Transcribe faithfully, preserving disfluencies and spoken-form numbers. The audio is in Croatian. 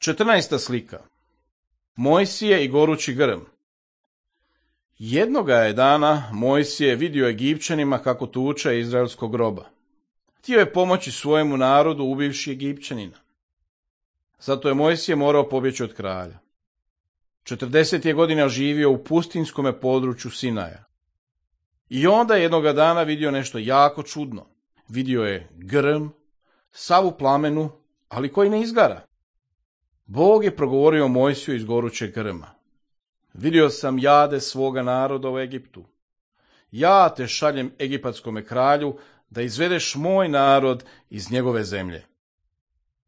Četrnaesta slika. Mojsije i gorući grm. Jednoga je dana Mojsije vidio Egipćanima kako tuče izraelskog roba. Htio je pomoći svojemu narodu ubivši Egipćanina. Zato je Mojsije morao pobjeći od kralja. Četrdeset je godina živio u pustinskome području Sinaja. I onda je jednoga dana vidio nešto jako čudno. Vidio je grm, sav u plamenu, ali koji ne izgara. Bog je progovorio Mojsiju iz gorućeg grma. Vidio sam jade svoga naroda u Egiptu. Ja te šaljem egipatskome kralju da izvedeš moj narod iz njegove zemlje.